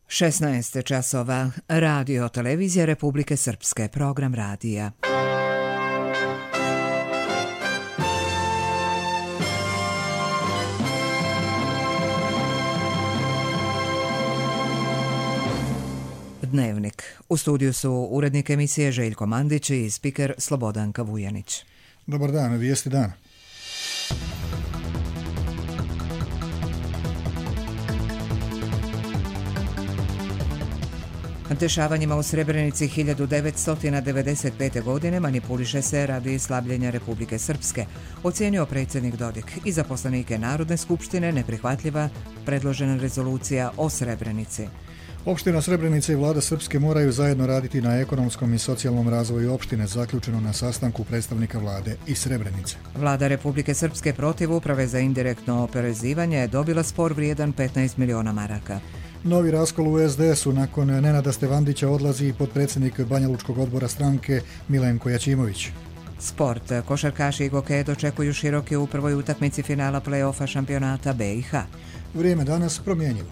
16 časova. Radio televizija Republike Srpske. Program radija. Dnevnik. U studiju su urednik emisije Željko Mandić i spiker Slobodanka Vujanić. Dobar dan, vijesti dana. Dešavanjima u Srebrenici 1995. godine manipuliše se radi slabljenja Republike Srpske, ocijenio predsjednik Dodik. I za poslanike Narodne skupštine neprihvatljiva predložena rezolucija o Srebrenici. Opština Srebrenica i vlada Srpske moraju zajedno raditi na ekonomskom i socijalnom razvoju opštine, zaključeno na sastanku predstavnika vlade i Srebrenice. Vlada Republike Srpske protiv Uprave za indirektno oporezivanje je dobila spor vrijedan 15 miliona maraka. Novi raskol u SDS-u. Nakon Nenada Stevandića odlazi i potpredsjednik Banjalučkog odbora stranke Milenko Jačimović. Sport. Košarkaši i gokeje dočekuju široke u prvoj utakmici finala play-offa šampionata BiH. Vrijeme danas promjenjivo.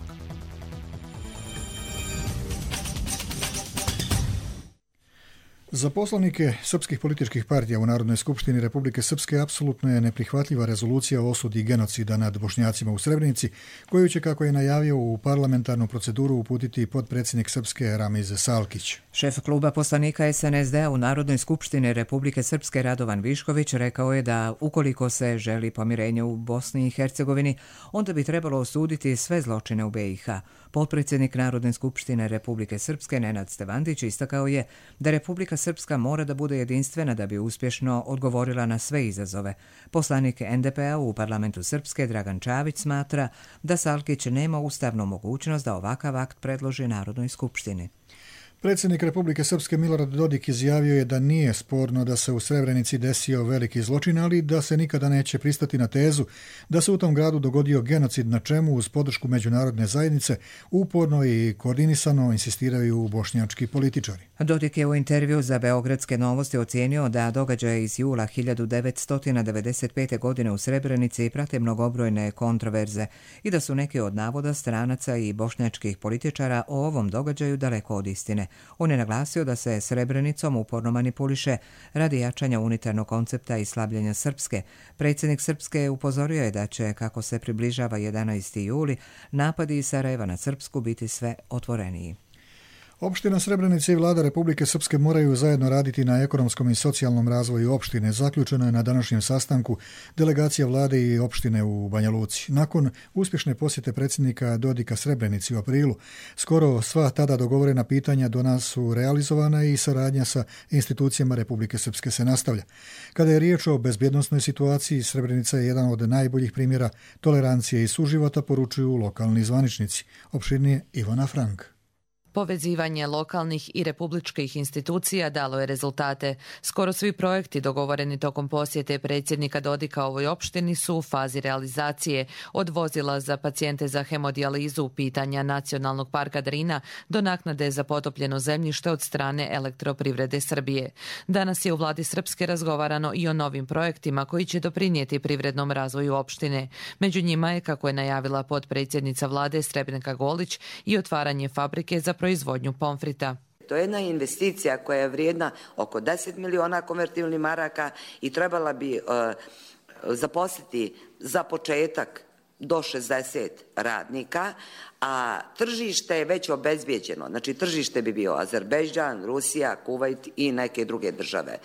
Za poslanike srpskih političkih partija u Narodnoj skupštini Republike Srpske apsolutno je neprihvatljiva rezolucija o osudi genocida nad Bošnjacima u Srebrenici, koju će, kako je najavio, u parlamentarnu proceduru uputiti potpredsjednik Srpske Ramiz Salkić. Šef kluba poslanika SNSD u Narodnoj skupštini Republike Srpske Radovan Višković rekao je da ukoliko se želi pomirenje u Bosni i Hercegovini, onda bi trebalo osuditi sve zločine u BiH. Potpredsjednik Narodne skupštine Republike Srpske Nenad Stevandić istakao je da Republika Srpska mora da bude jedinstvena da bi uspješno odgovorila na sve izazove. Poslanik NDP-a u parlamentu Srpske Dragan Čavić smatra da Salkić nema ustavnu mogućnost da ovakav akt predloži Narodnoj skupštini. Predsjednik Republike Srpske Milorad Dodik izjavio je da nije sporno da se u Srebrenici desio veliki zločin, ali da se nikada neće pristati na tezu da se u tom gradu dogodio genocid, na čemu uz podršku međunarodne zajednice uporno i koordinisano insistiraju bošnjački političari. Dodik je u intervju za Beogradske novosti ocijenio da događaje iz jula 1995. godine u Srebrenici prate mnogobrojne kontroverze i da su neki od navoda stranaca i bošnjačkih političara o ovom događaju daleko od istine. On je naglasio da se Srebrenicom uporno manipuliše radi jačanja unitarnog koncepta i slabljenja Srpske. Predsjednik Srpske upozorio je da će, kako se približava 11. juli, napadi iz Sarajeva na Srpsku biti sve otvoreniji. Opština Srebrenica i vlada Republike Srpske moraju zajedno raditi na ekonomskom i socijalnom razvoju opštine. Zaključeno je na današnjem sastanku delegacija vlade i opštine u Banja Luci. Nakon uspješne posjete predsjednika Dodika Srebrenici u aprilu, skoro sva tada dogovorena pitanja do nas su realizovana i saradnja sa institucijama Republike Srpske se nastavlja. Kada je riječ o bezbjednosnoj situaciji, Srebrenica je jedan od najboljih primjera tolerancije i suživota, poručuju lokalni zvaničnici. Opširnije Ivana Frank. Povezivanje lokalnih i republičkih institucija dalo je rezultate. Skoro svi projekti dogovoreni tokom posjete predsjednika Dodika ovoj opštini su u fazi realizacije, od vozila za pacijente za hemodijalizu, pitanja Nacionalnog parka Drina do naknade za potopljeno zemljište od strane Elektroprivrede Srbije. Danas je u vladi Srpske razgovarano i o novim projektima koji će doprinijeti privrednom razvoju opštine. Među njima je, kako je najavila potpredsjednica vlade Srebrnka Golić, i otvaranje fabrike za proizvodnju pomfrita. To je jedna investicija koja je vrijedna oko 10 miliona konvertibilnih maraka i trebala bi zaposliti za početak do 60 radnika, a tržište je već obezbijeđeno. Znači tržište bi bio Azerbejdžan, Rusija, Kuvajt i neke druge države.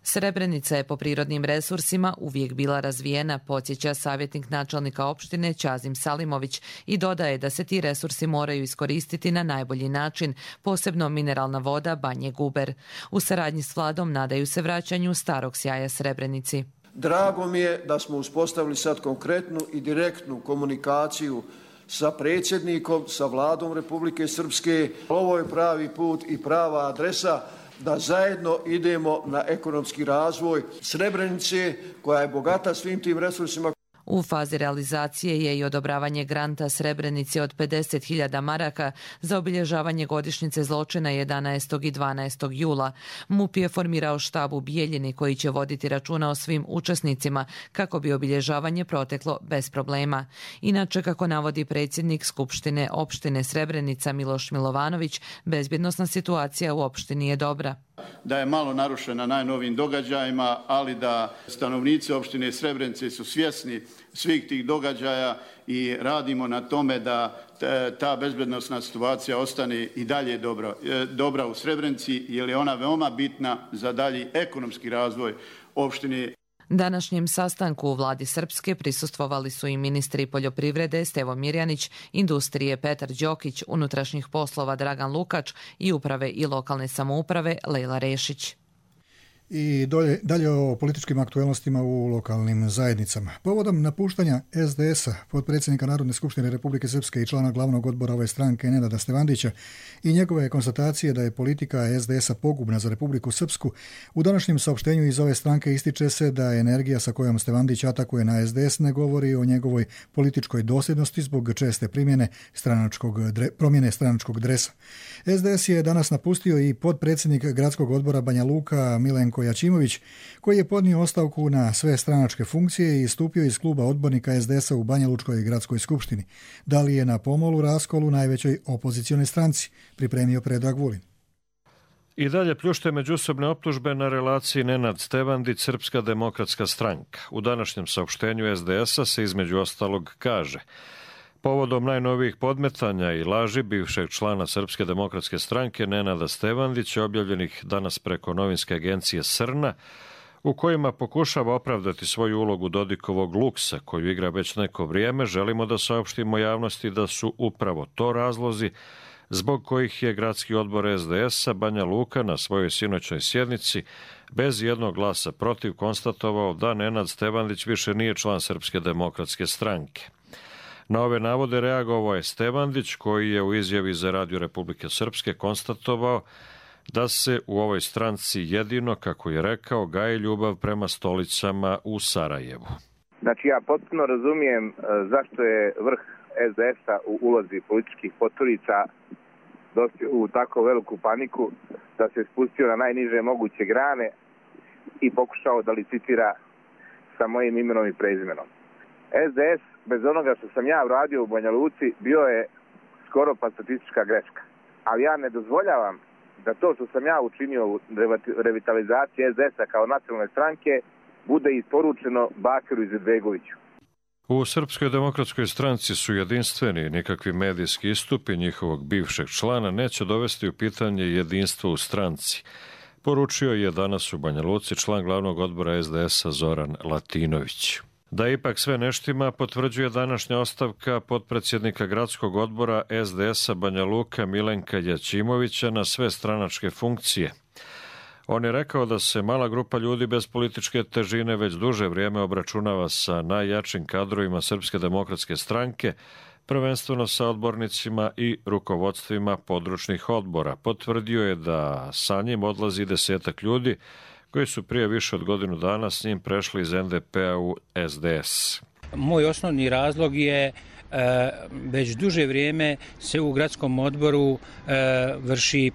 Srebrenica je po prirodnim resursima uvijek bila razvijena, podsjeća savjetnik načelnika opštine Čazim Salimović i dodaje da se ti resursi moraju iskoristiti na najbolji način, posebno mineralna voda Banje Guber. U saradnji s vladom nadaju se vraćanju starog sjaja Srebrenici. Drago mi je da smo uspostavili sad konkretnu i direktnu komunikaciju sa predsjednikom, sa vladom Republike Srpske. Ovo je pravi put i prava adresa da zajedno idemo na ekonomski razvoj Srebrenice, koja je bogata svim tim resursima. U fazi realizacije je i odobravanje granta Srebrenici od 50.000 maraka za obilježavanje godišnjice zločina 11. i 12. jula. MUP je formirao štab u Bijeljini koji će voditi računa o svim učesnicima kako bi obilježavanje proteklo bez problema. Inače, kako navodi predsjednik Skupštine opštine Srebrenica Miloš Milovanović, bezbjednosna situacija u opštini je dobra. Da je malo narušena najnovijim događajima, ali da stanovnici opštine Srebrenice su svjesni svih tih događaja i radimo na tome da ta bezbednosna situacija ostane i dalje dobra u Srebrenici, jer je ona veoma bitna za dalji ekonomski razvoj opštine. Današnjem sastanku u vladi Srpske prisustvovali su i ministri poljoprivrede Stevo Mirjanić, industrije Petar Đokić, unutrašnjih poslova Dragan Lukač i uprave i lokalne samouprave Lejla Rešić. I dalje o političkim aktuelnostima u lokalnim zajednicama. Povodom napuštanja SDS-a, potpredsjednika Narodne skupštine Republike Srpske i člana glavnog odbora ove stranke Nenada Stevandića i njegove konstatacije da je politika SDS-a pogubna za Republiku Srpsku, u današnjem saopštenju iz ove stranke ističe se da energija sa kojom Stevandić atakuje na SDS ne govori o njegovoj političkoj dosljednosti zbog česte promjene stranačkog dresa. SDS je danas napustio i potpredsjednik gradskog odbora Banja Luka Milenko Jačimović, koji je podnio ostavku na sve stranačke funkcije i istupio iz kluba odbornika SDS-a u Banja Lučkoj gradskoj skupštini. Da li je na pomolu raskolu najvećoj opozicionoj stranci, pripremio Predrag Vulin. I dalje pljušte međusobne optužbe na relaciji Nenad Stevandić – Srpska demokratska stranka. U današnjem saopštenju SDS-a se između ostalog kaže: povodom najnovijih podmetanja i laži bivšeg člana Srpske demokratske stranke Nenada Stevandića, objavljenih danas preko novinske agencije Srna, u kojima pokušava opravdati svoju ulogu Dodikovog luksa, koju igra već neko vrijeme, želimo da saopštimo javnosti da su upravo to razlozi zbog kojih je gradski odbor SDS-a Banja Luka na svojoj sinoćnoj sjednici bez jednog glasa protiv konstatovao da Nenad Stevandić više nije član Srpske demokratske stranke. Na ove navode reagovao je Stevandić, koji je u izjavi za Radio Republike Srpske konstatovao da se u ovoj stranci jedino, kako je rekao, gaji ljubav prema stolicama u Sarajevu. Znači, ja potpuno razumijem zašto je vrh SDS-a u ulozi političkih poturica dospio u tako veliku paniku da se spustio na najniže moguće grane i pokušao da licitira sa mojim imenom i prezimenom. SDS, bez onoga što sam ja uradio u Banja Luci, bio je skoro pa statistička greška. Ali ja ne dozvoljavam da to što sam ja učinio u revitalizaciji SDS-a kao nacionalne stranke bude isporučeno Bakiru Izetbegoviću. U Srpskoj demokratskoj stranci su jedinstveni, nikakvi medijski istupi njihovog bivšeg člana neće dovesti u pitanje jedinstvo u stranci, poručio je danas u Banja Luci član glavnog odbora SDS-a Zoran Latinović. Da ipak sve neštima potvrđuje današnja ostavka potpredsjednika gradskog odbora SDS-a Banja Luka Milenka Jačimovića na sve stranačke funkcije. On je rekao da se mala grupa ljudi bez političke težine već duže vrijeme obračunava sa najjačim kadrovima Srpske demokratske stranke, prvenstveno sa odbornicima i rukovodstvima područnih odbora. Potvrdio je da sa njim odlazi 10 ljudi koji su prije više od godinu dana s njim prešli iz NDP-a u SDS. Moj osnovni razlog je već duže vrijeme se u gradskom odboru vrši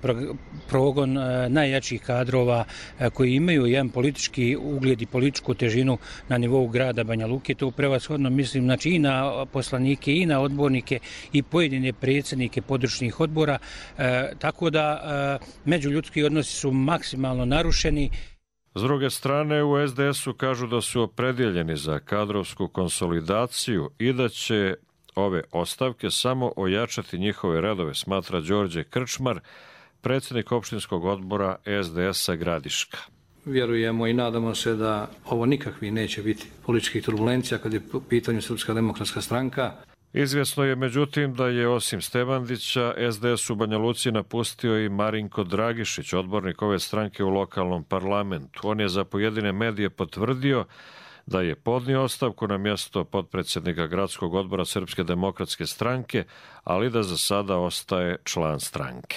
progon najjačih kadrova koji imaju jedan politički ugled i političku težinu na nivou grada Banja Luke. To prevashodno mislim znači i na poslanike i na odbornike i pojedine predsjednike područnih odbora, tako da međuljudski odnosi su maksimalno narušeni. S druge strane, u SDS-u kažu da su opredjeljeni za kadrovsku konsolidaciju i da će ove ostavke samo ojačati njihove redove, smatra Đorđe Krčmar, predsjednik opštinskog odbora SDS-a Gradiška. Vjerujemo i nadamo se da ovo nikakvi neće biti političkih turbulencija kad je u pitanju Srpska demokratska stranka. Izvjesno je međutim da je osim Stevandića SDS u Banja Luci napustio i Marinko Dragišić, odbornik ove stranke u lokalnom parlamentu. On je za pojedine medije potvrdio da je podnio ostavku na mjesto potpredsjednika gradskog odbora Srpske demokratske stranke, ali da za sada ostaje član stranke.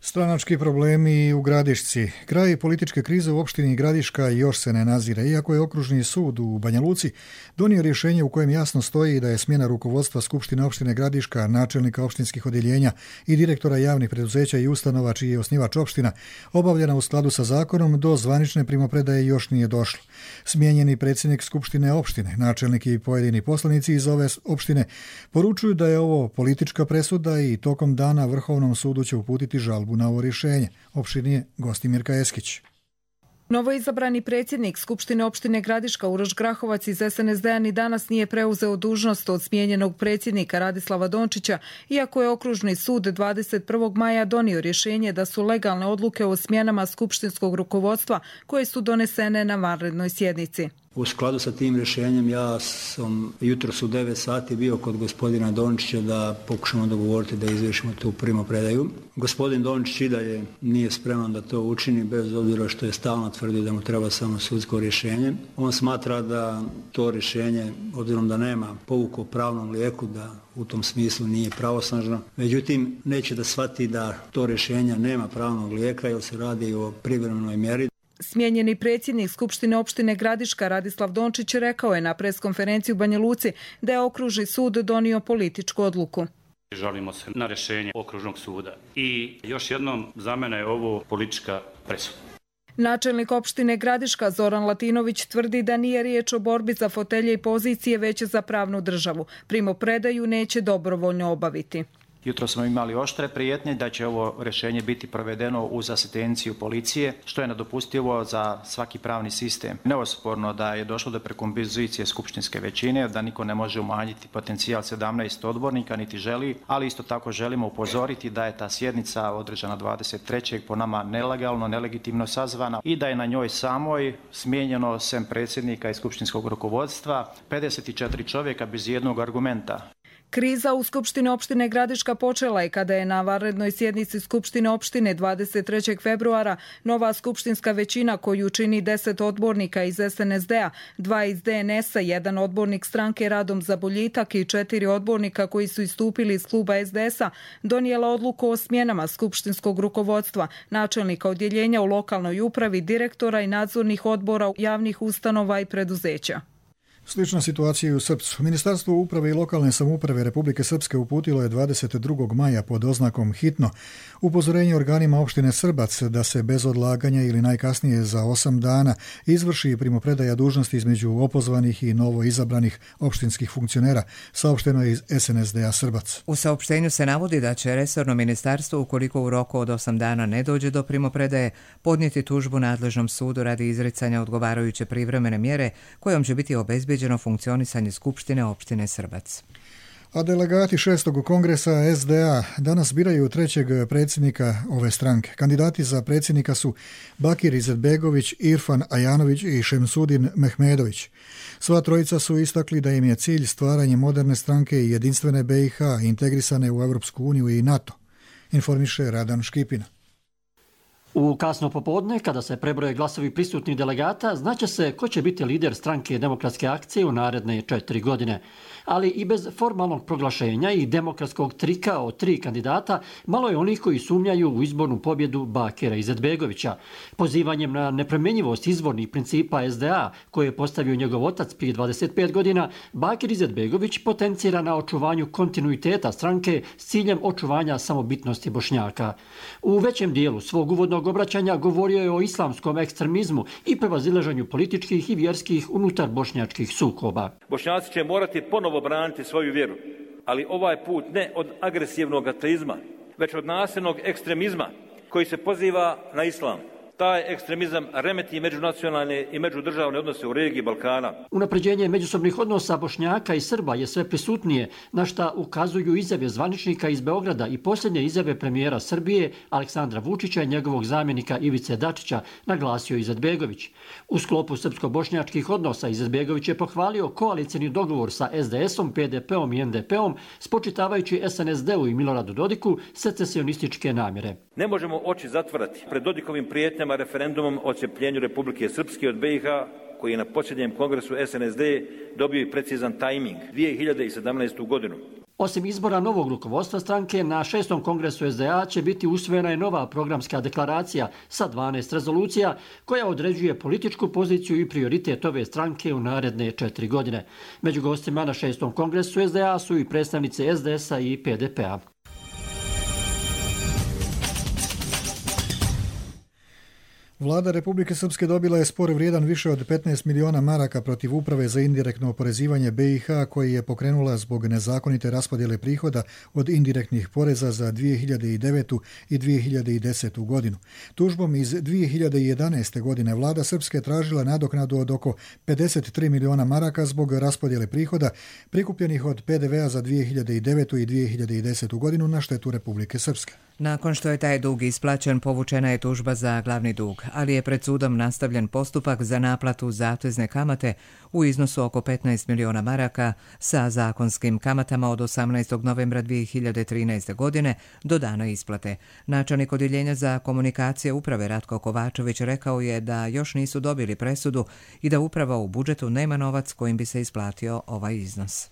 Stranački problemi u Gradišci. Kraj političke krize u opštini Gradiška još se ne nazire, iako je okružni sud u Banja Luci donio rješenje u kojem jasno stoji da je smjena rukovodstva Skupštine opštine Gradiška, načelnika opštinskih odjeljenja i direktora javnih preduzeća i ustanova čiji je osnivač opština obavljena u skladu sa zakonom, do zvanične primopredaje još nije došlo. Smijenjeni predsjednik Skupštine opštine, načelnik i pojedini poslanici iz ove opštine poručuju da je ovo politička presuda i tokom dana Vrhovnom sudu će uputiti žalbu na ovo rješenje. Opštinije Gostimirka Eskić. Novoizabrani predsjednik Skupštine opštine Gradiška Uroš Grahovac iz SNSD-a ni danas nije preuzeo dužnost od smijenjenog predsjednika Radislava Dončića, iako je okružni sud 21. maja donio rješenje da su legalne odluke o smjenama skupštinskog rukovodstva koje su donesene na vanrednoj sjednici. U skladu sa tim rješenjem ja sam jutros u 9 sati bio kod gospodina Dončića da pokušamo dogovoriti da izvršimo tu primopredaju. Gospodin Dončić i dalje nije spreman da to učini, bez obzira što je stalno tvrdio da mu treba samo sudsko rješenje. On smatra da to rješenje, obzirom da nema pouku o pravnom lijeku, da u tom smislu nije pravosnažno. Međutim, neće da shvati da to rješenje nema pravnog lijeka jer se radi o privremenoj mjeri. Smijenjeni predsjednik Skupštine opštine Gradiška Radislav Dončić rekao je na preskonferenciji u Banja Luci da je okružni sud donio političku odluku. Žalimo se na rješenje okružnog suda i još jednom za mene je ovo politička presuda. Načelnik opštine Gradiška Zoran Latinović tvrdi da nije riječ o borbi za fotelje i pozicije, već za pravnu državu. Primopredaju neće dobrovoljno obaviti. Jutro smo imali oštre prijetnje da će ovo rješenje biti provedeno uz asistenciju policije, što je nedopustivo za svaki pravni sistem. Neosporno da je došlo do prekompozicije skupštinske većine, da niko ne može umanjiti potencijal 17 odbornika, niti želi, ali isto tako želimo upozoriti da je ta sjednica održana 23. po nama nelegalno, nelegitimno sazvana i da je na njoj samoj smijenjeno sem predsjednika i skupštinskog rukovodstva 54 čovjeka bez jednog argumenta. Kriza u Skupštini opštine Gradiška počela je kada je na vanrednoj sjednici Skupštine opštine 23. februara nova skupštinska većina koju čini 10 odbornika iz SNSD-a, 2 iz DNS-a, 1 odbornik stranke Radom za boljitak i 4 odbornika koji su istupili iz kluba SDS-a, donijela odluku o smjenama skupštinskog rukovodstva, načelnika odjeljenja u lokalnoj upravi, direktora i nadzornih odbora javnih ustanova i preduzeća. Slična situacija i u Srpsku. Ministarstvo uprave i lokalne samouprave Republike Srpske uputilo je 22. maja pod oznakom hitno upozorenje organima opštine Srbac da se bez odlaganja ili najkasnije za 8 dana izvrši primopredaja dužnosti između opozvanih i novo izabranih opštinskih funkcionera, saopšteno je iz SNSD-a Srbac. U saopštenju se navodi da će resorno ministarstvo, ukoliko u roku od 8 dana ne dođe do primopredaje, podnijeti tužbu nadležnom sudu radi izricanja odgovarajuće privremene mjere kojom će biti obezbeđeno funkcionisanje Skupštine opštine Srbac. A delegati 6. kongresa SDA danas biraju 3. predsjednika ove stranke. Kandidati za predsjednika su Bakir Izetbegović, Irfan Ajanović i Šemsudin Mehmedović. Sva trojica su istakli da im je cilj stvaranje moderne stranke i jedinstvene BiH integrisane u Europsku uniju i NATO, informiše Radan Škipina. U kasno popodne, kada se prebroje glasovi prisutnih delegata, znaće se ko će biti lider stranke Demokratske akcije u naredne 4 godine. Ali i bez formalnog proglašenja i demokratskog trika od 3 kandidata, malo je onih koji sumnjaju u izbornu pobjedu Bakira Izetbegovića. Pozivanjem na nepromjenjivost izvornih principa SDA, koje je postavio njegov otac prije 25 godina, Bakir Izetbegović potencira na očuvanju kontinuiteta stranke s ciljem očuvanja samobitnosti Bošnjaka. U većem dijelu svog uvodnog obraćanja govorio je o islamskom ekstremizmu i prevazilaženju političkih i vjerskih unutar bošnjačkih sukoba. Bošnjaci će morati ponovo braniti svoju vjeru, ali ovaj put ne od agresivnog ateizma, već od nasilnog ekstremizma koji se poziva na islam. Taj ekstremizam remeti međunacionalne i međudržavne odnose u regiji Balkana. Unapređenje međusobnih odnosa Bošnjaka i Srba je sve prisutnije, na šta ukazuju izjave zvaničnika iz Beograda i posljednje izjave premijera Srbije Aleksandra Vučića i njegovog zamjenika Ivice Dačića, naglasio Izetbegović. U sklopu srpsko-bošnjačkih odnosa Izetbegović je pohvalio koalicijni dogovor sa SDS-om, PDP-om i NDP-om, spočitavajući SNSD-u i Miloradu Dodiku secesionističke namjere. Ne možemo oči zatvarati pred Dodikovim prijetnjama referendumom o odcepljenju Republike Srpske od BiH, koji je na posljednjem kongresu SNSD dobio i precizan tajming, 2017. godinu. Osim izbora novog rukovodstva stranke, na 6. kongresu SDA će biti usvojena i nova programska deklaracija sa 12 rezolucija koja određuje političku poziciju i prioritet ove stranke u naredne 4 godine. Među gostima na 6. kongresu SDA su i predstavnice SDS-a i PDP-a. Vlada Republike Srpske dobila je spor vrijedan više od 15 miliona maraka protiv Uprave za indirektno oporezivanje BiH koji je pokrenula zbog nezakonite raspodjele prihoda od indirektnih poreza za 2009. i 2010. godinu. Tužbom iz 2011. godine vlada Srpske tražila nadoknadu od oko 53 miliona maraka zbog raspodjele prihoda prikupljenih od PDV-a za 2009. i 2010. godinu na štetu Republike Srpske. Nakon što je taj dug isplaćen, povučena je tužba za glavni dug, ali je pred sudom nastavljen postupak za naplatu zatezne kamate u iznosu oko 15 miliona maraka sa zakonskim kamatama od 18. novembra 2013. godine do dana isplate. Načelnik odjeljenja za komunikacije uprave Ratko Kovačević rekao je da još nisu dobili presudu i da uprava u budžetu nema novac kojim bi se isplatio ovaj iznos.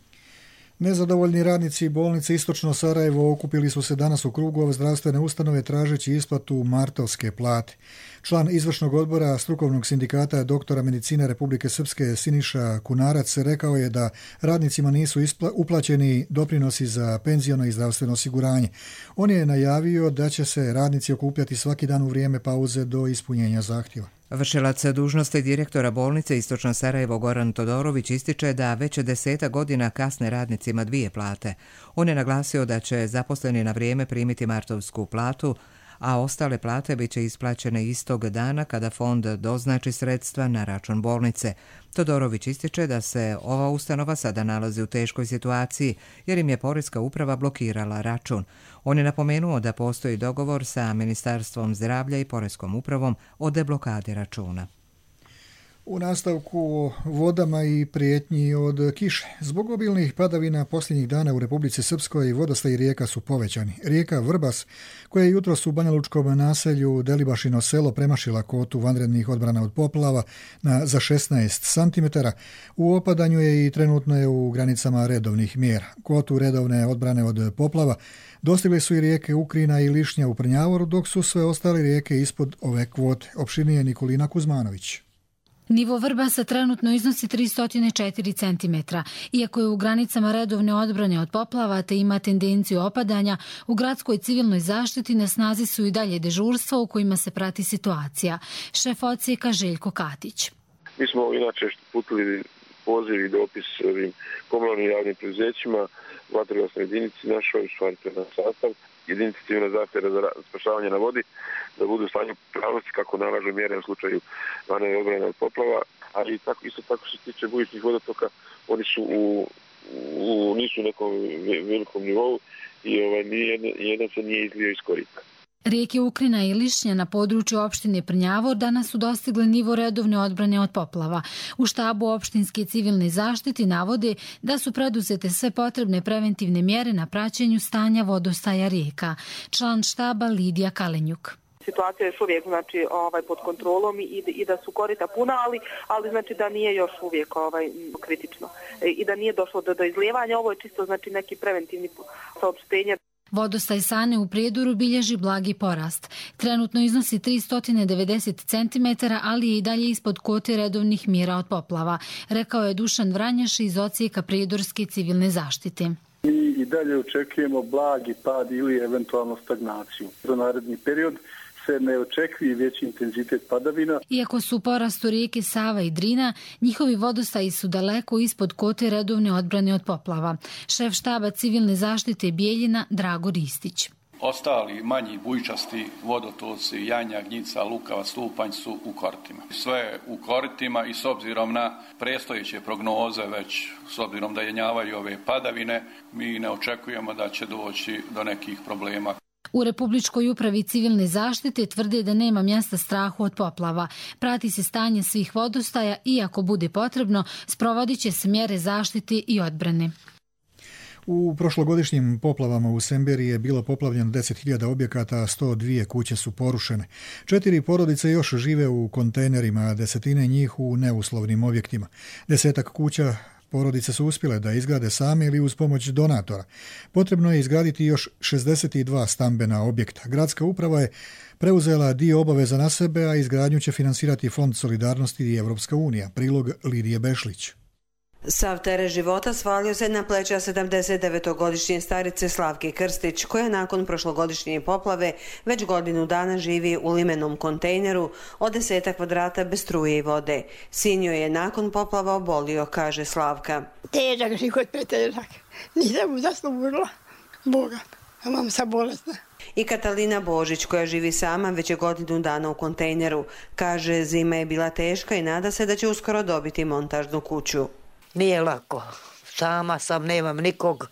Nezadovoljni radnici bolnice Istočno Sarajevo okupili su se danas u krugu zdravstvene ustanove tražeći isplatu martovske plate. Član izvršnog odbora strukovnog sindikata doktora medicine Republike Srpske Siniša Kunarac rekao je da radnicima nisu uplaćeni doprinosi za penziono i zdravstveno osiguranje. On je najavio da će se radnici okupljati svaki dan u vrijeme pauze do ispunjenja zahtjeva. Vršilac dužnosti direktora bolnice Istočno Sarajevo Goran Todorović ističe da već 10 godina kasne radnicima 2 plate. On je naglasio da će zaposleni na vrijeme primiti martovsku platu, a ostale plate bit će isplaćene istog dana kada fond doznači sredstva na račun bolnice. Todorović ističe da se ova ustanova sada nalazi u teškoj situaciji jer im je Poreska uprava blokirala račun. On je napomenuo da postoji dogovor sa Ministarstvom zdravlja i Poreskom upravom o deblokadi računa. U nastavku o vodama i prijetnji od kiše. Zbog obilnih padavina posljednjih dana u Republici Srpskoj vodostaji rijeka su povećani. Rijeka Vrbas, koja je jutros u banjalučkom naselju Delibašino selo premašila kvotu vanrednih odbrana od poplava za 16 cm, u opadanju je i trenutno je u granicama redovnih mjera. Kvotu redovne odbrane od poplava dostigle su i rijeke Ukrina i Lišnja u Prnjavoru, dok su sve ostale rijeke ispod ove kvote. Opširnije Nikolina Kuzmanović. Nivo Vrbasa trenutno iznosi 304 cm. Iako je u granicama redovne odbrane od poplava te ima tendenciju opadanja, u gradskoj civilnoj zaštiti na snazi su i dalje dežurstva u kojima se prati situacija. Šef odsjeka Željko Katić. Mi smo inače putili poziv i dopis ovim komunalnim javnim preduzećima, vatrogasnoj jedinici našoj, stvarite na sastav, jedinici civilne zaštite za spašavanje na vodi, da budu u stanju pravnosti kako nalažu mjere u slučaju vanredne odbrane od poplava, ali isto tako što se tiče bujičnih vodotoka, oni su nisu u nekom velikom nivou i jedan se nije izlio iz korita. Rijeke Ukrina i Lišnja na području opštine Prnjavor danas su dostigle nivo redovne odbrane od poplava. U štabu opštinske civilne zaštiti navode da su preduzete sve potrebne preventivne mjere na praćenju stanja vodostaja rijeka. Član štaba Lidija Kalenjuk. Situacija je još uvijek pod kontrolom i da su korita puna, ali znači da nije još uvijek kritično i da nije došlo do izlijevanja. Ovo je čisto neki preventivni saopštenje. Vodostaj Sane u Prijedoru bilježi blagi porast. Trenutno iznosi 390 cm, ali je i dalje ispod kvote redovnih mjera od poplava, rekao je Dušan Vranjaš iz odsjeka Prijedorske civilne zaštite. Mi i dalje očekujemo blagi pad ili eventualno stagnaciju. Za naredni period se ne očekuje veći intenzitet padavina. Iako su u porastu rijeke Sava i Drina, njihovi vodostaji su daleko ispod kote redovne odbrane od poplava. Šef štaba civilne zaštite Bijeljina Drago Ristić. Ostali manji bujičasti vodotoci, Janja, Gnjica, Lukava, Stupanj su u koritima. Sve u koritima i s obzirom na predstojeće prognoze, već s obzirom da jenjavaju ove padavine, mi ne očekujemo da će doći do nekih problema. U Republičkoj upravi civilne zaštite tvrde da nema mjesta strahu od poplava. Prati se stanje svih vodostaja i ako bude potrebno, sprovodit će se mjere zaštite i odbrane. U prošlogodišnjim poplavama u Semberi je bilo poplavljeno 10.000 objekata, a 102 kuće su porušene. 4 porodice još žive u kontejnerima, a 10 njih u neuslovnim objektima. 10 kuća Porodice su uspjele da izgrade same ili uz pomoć donatora. Potrebno je izgraditi još 62 stambena objekta. Gradska uprava je preuzela dio obaveza na sebe, a izgradnju će finansirati Fond solidarnosti i Evropska unija. Prilog Lidije Bešlić. Sav teret života svalio se na pleća 79-godišnje starice Slavke Krstić, koja nakon prošlogodišnje poplave već godinu dana živi u limenom kontejneru od 10 kvadrata bez struje i vode. Sin joj je nakon poplava obolio, kaže Slavka. Težak život, pretežak. Nisam mu zaslužila Boga, a mam sam bolesna. I Katalina Božić, koja živi sama već je godinu dana u kontejneru, kaže zima je bila teška i nada se da će uskoro dobiti montažnu kuću. Nije lako. Sama sam, nemam nikog,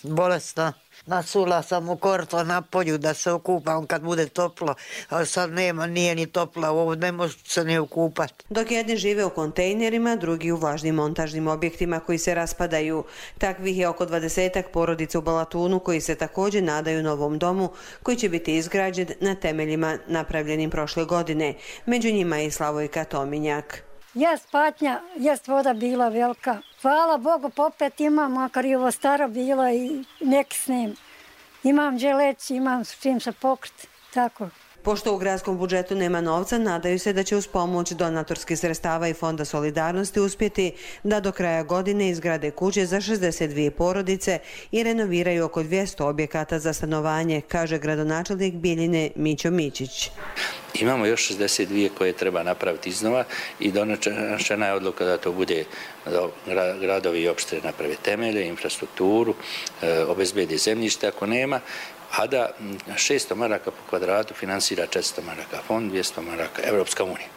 bolesna. Nasula sam u korto na polju da se okupam kad bude toplo, ali sad nema, nije ni toplo, ovo ne može se ni okupati. Dok jedni žive u kontejnerima, drugi u važnim montažnim objektima koji se raspadaju. Takvih je oko 20 porodica u Balatunu koji se također nadaju novom domu koji će biti izgrađen na temeljima napravljenim prošle godine. Među njima je i Slavojka Tominjak. Jest patnja, jest voda bila velika. Hvala Bogu, popet imam, makar i ovo staro bilo i neki snim. Imam dželeć, imam s čim se pokriti, tako. Pošto u gradskom budžetu nema novca, nadaju se da će uz pomoć donatorskih sredstava i Fonda solidarnosti uspjeti da do kraja godine izgrade kuće za 62 porodice i renoviraju oko 200 objekata za stanovanje, kaže gradonačelnik Bijeljine Mićo Mićić. Imamo još 62 koje treba napraviti iznova i donošena je odluka da to bude gradovi i opštine naprave temelje, infrastrukturu, obezbedi zemljište ako nema, a da 600 maraka po kvadratu finansira 400 maraka fond, 200 maraka Evropska unija.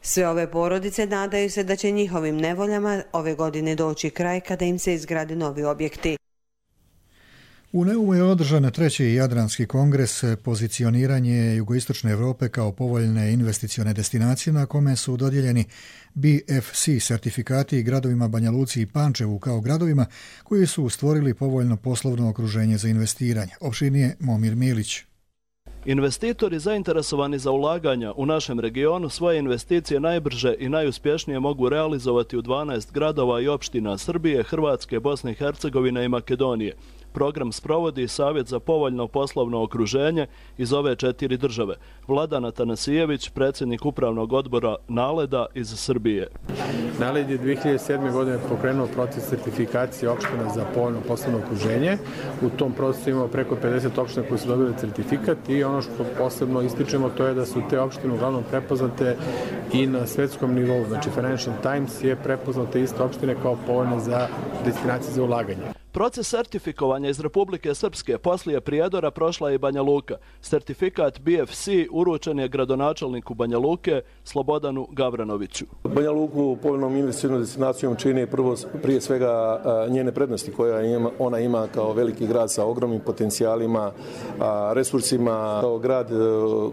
Sve ove porodice nadaju se da će njihovim nevoljama ove godine doći kraj kada im se izgrade novi objekti. U Neumu je održan treći Jadranski kongres pozicioniranje jugoistočne Europe kao povoljne investicione destinacije na kome su dodijeljeni BFC sertifikati gradovima Banja Luci i Pančevu kao gradovima koji su stvorili povoljno poslovno okruženje za investiranje. Opširnije Momir Milić. Investitori zainteresovani za ulaganja u našem regionu svoje investicije najbrže i najuspješnije mogu realizovati u 12 gradova i opština Srbije, Hrvatske, Bosne i Hercegovine i Makedonije. Program sprovodi Savjet za povoljno poslovno okruženje iz ove 4 države. Vladan Atanasijević, predsjednik upravnog odbora Naleda iz Srbije. Naled je 2007. godine pokrenuo proces certifikacije opština za povoljno poslovno okruženje. U tom procesu imamo preko 50 opština koji su dobili certifikat i ono što posebno ističemo to je da su te opštine uglavnom prepoznate i na svetskom nivou. Znači Financial Times je prepoznate iste opštine kao povoljne za destinacije za ulaganje. Proces sertifikovanja iz Republike Srpske poslije Prijedora prošla je i Banja Luka. Sertifikat BFC uručen je gradonačelniku Banja Luke Slobodanu Gavranoviću. Banja Luku povoljnom investicionom destinacijom čini prije svega njene prednosti koje ona ima kao veliki grad sa ogromnim potencijalima, resursima, kao grad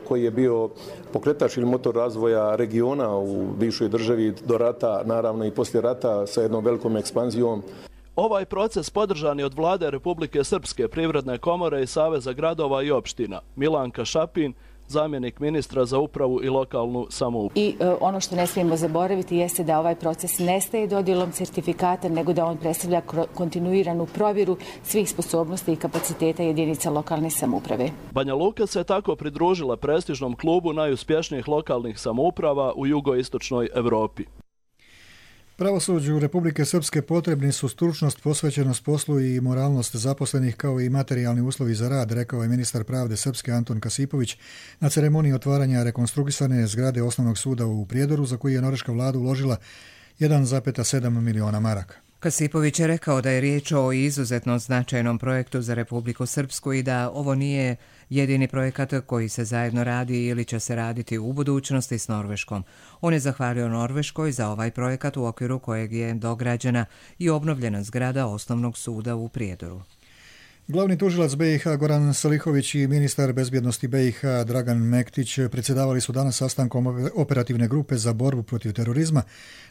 koji je bio pokretač ili motor razvoja regiona u bivšoj državi do rata, naravno i poslije rata sa jednom velikom ekspanzijom. Ovaj proces podržan je od Vlade Republike Srpske, Privredne komore i Saveza gradova i opština. Milanka Šapin, zamjenik ministra za upravu i lokalnu samoupravu. I ono što ne smijemo zaboraviti jeste da ovaj proces ne staje dodjelom sertifikata, nego da on predstavlja kontinuiranu provjeru svih sposobnosti i kapaciteta jedinica lokalne samouprave. Banja Luka se tako pridružila prestižnom klubu najuspješnijih lokalnih samouprava u jugoistočnoj Evropi. Pravosuđu Republike Srpske potrebni su stručnost, posvećenost poslu i moralnost zaposlenih kao i materijalni uslovi za rad, rekao je ministar pravde Srpske Anton Kasipović na ceremoniji otvaranja rekonstruisane zgrade Osnovnog suda u Prijedoru za koji je norveška vlada uložila 1,7 miliona maraka. Kasipović je rekao da je riječ o izuzetno značajnom projektu za Republiku Srpsku i da ovo nije jedini projekat koji se zajedno radi ili će se raditi u budućnosti s Norveškom. On je zahvalio Norveškoj za ovaj projekat u okviru kojeg je dograđena i obnovljena zgrada Osnovnog suda u Prijedoru. Glavni tužilac BiH Goran Salihović i ministar bezbjednosti BiH Dragan Mektić predsjedavali su danas sastankom operativne grupe za borbu protiv terorizma,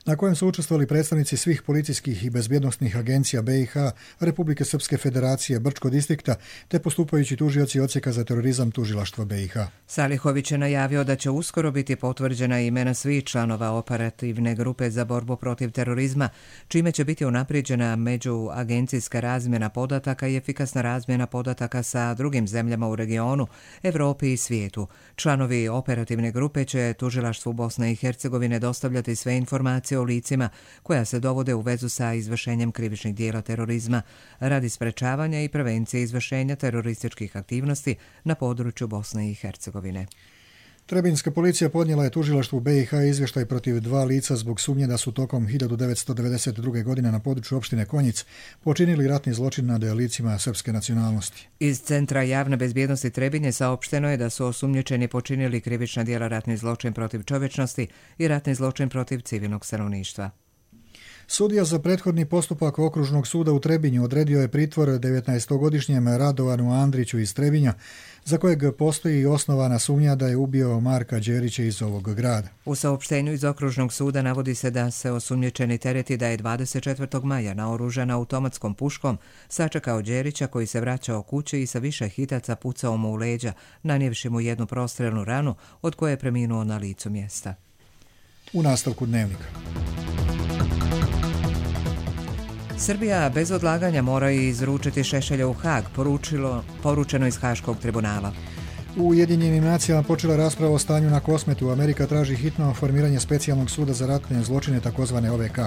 na kojem su učestvovali predstavnici svih policijskih i bezbjednosnih agencija BiH, Republike Srpske Federacije, Brčko distrikta, te postupajući tužioci odsjeka za terorizam tužilaštva BiH. Salihović je najavio da će uskoro biti potvrđena imena svih članova operativne grupe za borbu protiv terorizma, čime će biti unaprijeđena međuagencijska razmjena podataka i efikasna razmjena podataka sa drugim zemljama u regionu, Evropi i svijetu. Članovi operativne grupe će tužilaštvu Bosne i Hercegovine dostavljati sve informacije o licima koja se dovode u vezu sa izvršenjem krivičnih dijela terorizma radi sprečavanja i prevencije izvršenja terorističkih aktivnosti na području Bosne i Hercegovine. Trebinska policija podnijela je tužilaštvu BiH izvještaj protiv 2 lica zbog sumnje da su tokom 1992. godine na području opštine Konjic počinili ratni zločin nad licima srpske nacionalnosti. Iz Centra javne bezbjednosti Trebinje saopšteno je da su osumnjičeni počinili krivična djela ratni zločin protiv čovječnosti i ratni zločin protiv civilnog stanovništva. Sudija za prethodni postupak Okružnog suda u Trebinju odredio je pritvor 19-godišnjem Radovanu Andriću iz Trebinja, za kojeg postoji osnovana sumnja da je ubio Marka Đerića iz ovog grada. U saopštenju iz Okružnog suda navodi se da se osumnjičeni tereti da je 24. maja naoružan automatskom puškom sačekao Đerića koji se vraćao kući i sa više hitaca pucao mu u leđa, nanijevši mu jednu prostrelnu ranu od koje je preminuo na licu mjesta. U nastavku dnevnika. Srbija bez odlaganja mora izručiti Šešelja u Hag, poručeno iz Haškog tribunala. U Ujedinjenim nacijama počela rasprava o stanju na Kosmetu. Amerika traži hitno formiranje specijalnog suda za ratne zločine, takozvane OVK.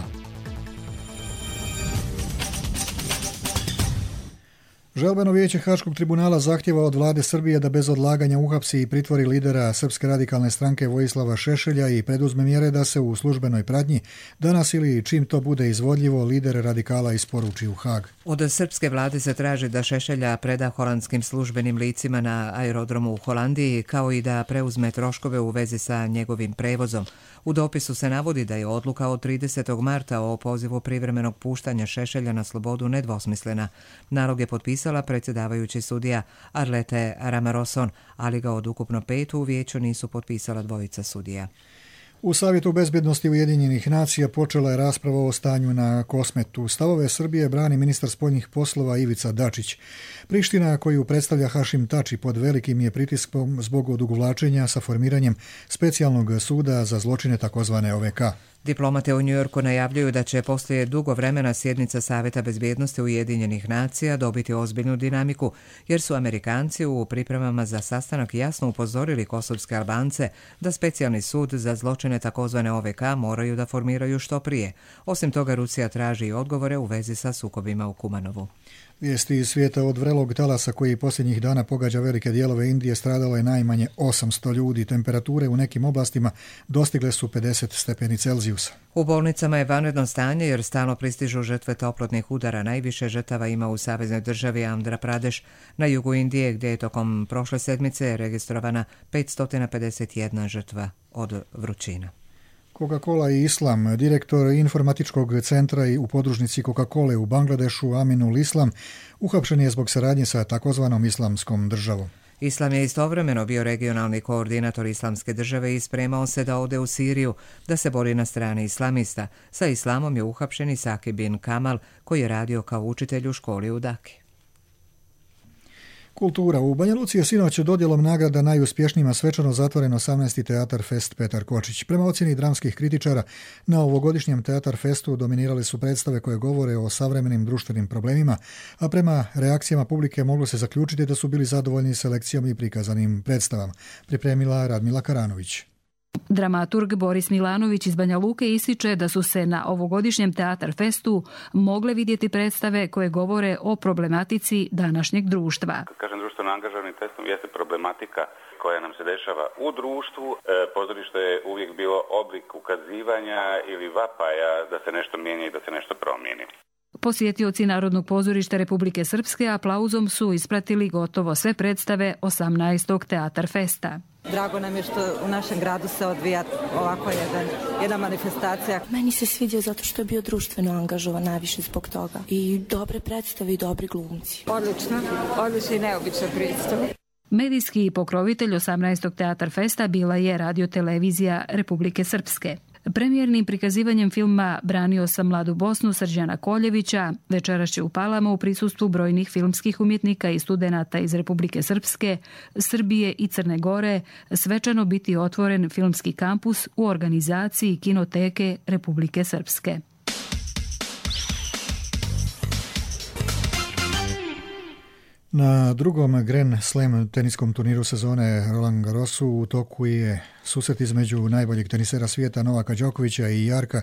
Žalbeno vijeće Haškog tribunala zahtjeva od vlade Srbije da bez odlaganja uhapsi i pritvori lidera Srpske radikalne stranke Vojislava Šešelja i preduzme mjere da se u službenoj pratnji danas ili čim to bude izvodljivo lider radikala isporuči u Hag. Od srpske vlade se traži da Šešelja preda holandskim službenim licima na aerodromu u Holandiji, kao i da preuzme troškove u vezi sa njegovim prevozom. U dopisu se navodi da je odluka od 30. marta o pozivu privremenog puštanja Šešelja na slobodu nedvosmislena. Nalog je potpisala predsjedavajući sudija Arlete Ramaroson, ali ga od ukupno 5 u vijeću nisu potpisala 2 sudija. U Savjetu bezbjednosti Ujedinjenih nacija počela je rasprava o stanju na Kosmetu. Stavove Srbije brani ministar spoljnih poslova Ivica Dačić. Priština, koju predstavlja Hašim Tači, pod velikim je pritiskom zbog odugovlačenja sa formiranjem specijalnog suda za zločine, takozvane OVK. Diplomate u Njujorku najavljuju da će poslije dugo vremena sjednica Savjeta bezbjednosti Ujedinjenih nacija dobiti ozbiljnu dinamiku, jer su Amerikanci u pripremama za sastanak jasno upozorili kosovske Albance da specijalni sud za zločine takozvane OVK moraju da formiraju što prije. Osim toga, Rusija traži i odgovore u vezi sa sukobima u Kumanovu. Vijesti iz svijeta: od vrelog talasa koji posljednjih dana pogađa velike dijelove Indije stradalo je najmanje 800 ljudi. Temperature u nekim oblastima dostigle su 50 stepeni Celzijusa. U bolnicama je vanredno stanje jer stalno pristižu žrtve toplotnih udara. Najviše žrtava ima u saveznoj državi Andhra Pradesh, na jugu Indije, gdje je tokom prošle sedmice registrovana 551 žrtva od vrućina. Coca-Cola i Islam. Direktor informatičkog centra i u podružnici Coca-Cole u Bangladešu, Aminul Islam, uhapšen je zbog saradnje sa takozvanom islamskom državom. Islam je istovremeno bio regionalni koordinator islamske države i spremao se da ode u Siriju, da se bori na strani islamista. Sa islamom je uhapšen i Saki bin Kamal, koji je radio kao učitelj u školi u Daki. Kultura. U Banja Luci je sinoć dodjelom nagrada najuspješnijima svečano zatvoren 18. Teatar Fest Petar Kočić. Prema ocjeni dramskih kritičara, na ovogodišnjem Teatar Festu dominirale su predstave koje govore o savremenim društvenim problemima, a prema reakcijama publike moglo se zaključiti da su bili zadovoljni selekcijom i prikazanim predstavama. Pripremila Radmila Karanović. Dramaturg Boris Milanović iz Banja Luke ističe da su se na ovogodišnjem Teatar Festu mogle vidjeti predstave koje govore o problematici današnjeg društva. Kad kažem društveno angažovanim testom, jeste problematika koja nam se dešava u društvu. Pozorište je uvijek bilo oblik ukazivanja ili vapaja da se nešto mijenja i da se nešto promijeni. Posjetioci Narodnog pozorišta Republike Srpske aplauzom su ispratili gotovo sve predstave 18. Teatar Festa. Drago nam je što u našem gradu se odvija ovako jedna manifestacija. Meni se svidio zato što je bio društveno angažovan najviše zbog toga. I dobre predstave i dobri glumci. Odlično i neobična predstava. Medijski pokrovitelj 18. Teatar Festa bila je Radio-televizija Republike Srpske. Premijernim prikazivanjem filma Branio sam mladu Bosnu Srđana Koljevića večeras će u Palama u prisustvu brojnih filmskih umjetnika i studenata iz Republike Srpske, Srbije i Crne Gore svečano biti otvoren filmski kampus u organizaciji Kinoteke Republike Srpske. Na drugom Grand Slam teniskom turniru sezone Roland Garrosu u toku je susret između najboljeg tenisera svijeta Novaka Đokovića i Jarka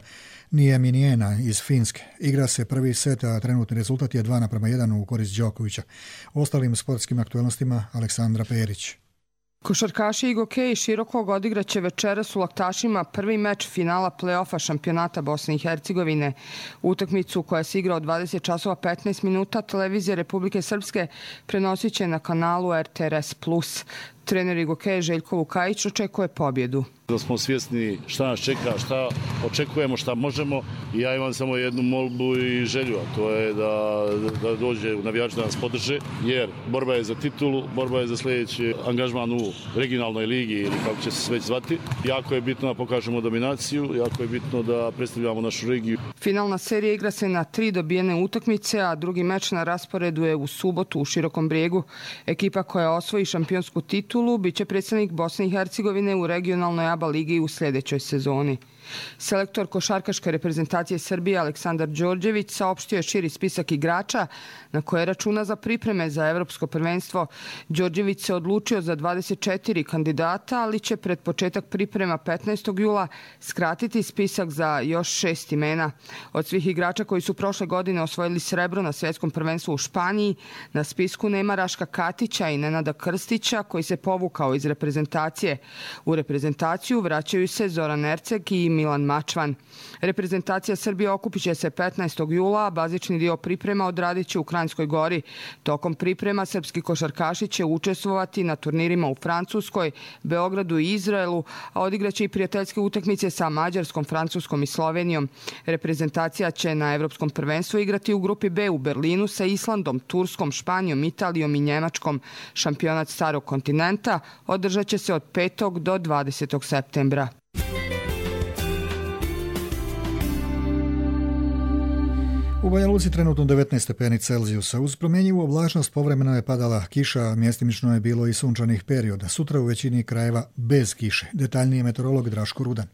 Nieminiena iz Finske. Igra se prvi set, a trenutni rezultat je 2:1 u korist Đokovića. O ostalim sportskim aktualnostima Aleksandra Perić. Košarkaši Igo Kej i Širokog odigraće večeras u Laktašima prvi meč finala play-offa šampionata Bosne i Hercegovine. Utakmicu koja se igra od 20 časova 15 minuta televizija Republike Srpske prenosit će na kanalu RTRS+. Trener Igo Kej Željko Lukajić očekuje pobjedu. Da smo svjesni šta nas čeka, šta očekujemo, šta možemo i ja imam samo jednu molbu i želju, a to je da dođe navijači da nas podrže, jer borba je za titulu, borba je za sljedeći angažman u regionalnoj ligi ili kako će se već zvati. Jako je bitno da pokažemo dominaciju, jako je bitno da predstavljamo našu regiju. Finalna serija igra se na 3 dobijene utakmice, a drugi meč na rasporedu je u subotu u Širokom Brijegu. Ekipa koja osvoji šampionsku titulu biće predstavnik Bosne i Hercegovine u regionalnoj ABA ligi u sljedećoj sezoni. Selektor košarkaške reprezentacije Srbije Aleksandar Đorđević saopštio je širi spisak igrača na koje računa za pripreme za evropsko prvenstvo. Đorđević se odlučio za 24 kandidata, ali će pred početak priprema 15. jula skratiti spisak za još 6 imena. Od svih igrača koji su prošle godine osvojili srebro na svjetskom prvenstvu u Španiji, na spisku nema Raška Katića i Nenada Krstića koji se povukao iz reprezentacije. U reprezentaciju vraćaju se Zoran Erceg i Milan Mačvan. Reprezentacija Srbije okupit će se 15. jula, a bazični dio priprema odradit će u Kranjskoj Gori. Tokom priprema srpski košarkaši će učestvovati na turnirima u Francuskoj, Beogradu i Izraelu, a odigraće i prijateljske utakmice sa Mađarskom, Francuskom i Slovenijom. Reprezentacija će na evropskom prvenstvu igrati u grupi B u Berlinu sa Islandom, Turskom, Španijom, Italijom i Njemačkom. Šampionat starog kontinenta održat će se od 5. do 20. septembra. U Banja Luci trenutno 19 stepeni Celzijusa. Uz promjenjivu oblačnost povremeno je padala kiša, mjestimično je bilo i sunčanih perioda. Sutra u većini krajeva bez kiše. Detaljnije meteorolog Draško Rudan.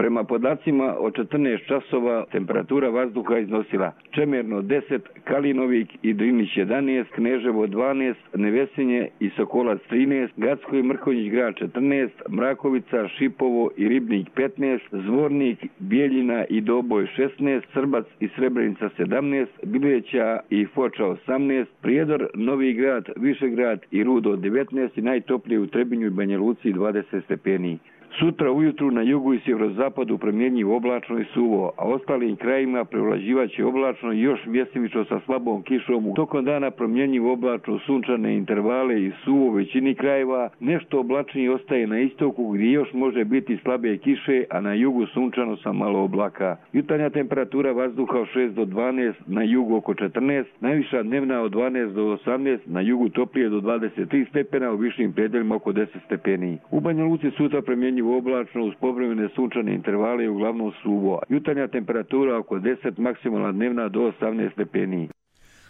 Prema podacima od 14 časova temperatura vazduha iznosila Čemerno 10, Kalinovik i Drinić 11, Kneževo 12, Nevesinje i Sokolac 13, Gacko i Mrkonjić grad 14, Mrakovica, Šipovo i Ribnik 15, Zvornik, Bijeljina i Doboj 16, Srbac i Srebrenica 17, Bileća i Foča 18, Prijedor, Novi grad, Višegrad i Rudo 19 i najtoplije u Trebinju i Banja Luci 20 stepeni. Sutra ujutru na jugu i sjeverozapadu promjenjivo oblačno i suvo, a ostalim krajima prevlađivaće oblačno i još mjestimično sa slabom kišom. Tokom dana promjenjivo oblačno, sunčane intervale i suvo u većini krajeva. Nešto oblačnije ostaje na istoku gdje još može biti slabe kiše, a na jugu sunčano sa malo oblaka. Jutarnja temperatura vazduha od 6 do 12, na jugu oko 14, najviša dnevna od 12 do 18, na jugu toplije do 23 stepena, u višim predeljima oko 10 stepeni. U Banja Luci sutra promjenjivo oblačno uz povremene sunčane intervale i uglavnom suvo. Jutarnja temperatura oko 10, maksimalna dnevna do 18 stepeni.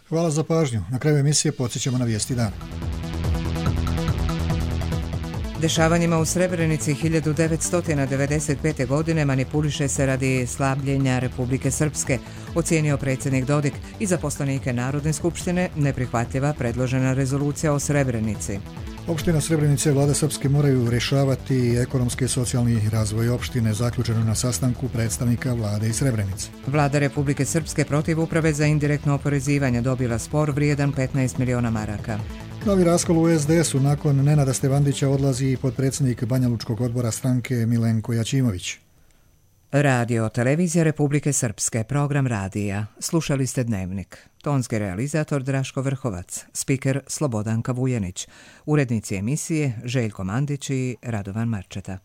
Hvala za pažnju. Na kraju emisije podsjećamo na vijesti dana. Dešavanjima u Srebrenici 1995. godine manipuliše se radi slabljenja Republike Srpske, ocijenio predsjednik Dodik, i za poslanike Narodne skupštine neprihvatljiva predložena rezolucija o Srebrenici. Opština Srebrenice i vlada Srpske moraju rješavati ekonomski i socijalni razvoj opštine, zaključeno na sastanku predstavnika vlade iz Srebrenice. Vlada Republike Srpske protiv Uprave za indirektno oporezivanje dobila spor vrijedan 15 miliona maraka. Novi raskol u SDS-u. Nakon Nenada Stevandića odlazi i potpredsjednik Banjalučkog odbora stranke Milenko Jačimović. Radio Televizija Republike Srpske, program radija. Slušali ste Dnevnik. Tonski realizator Draško Vrhovac, spiker Slobodanka Vujanić, urednici emisije Željko Mandić i Radovan Marčeta.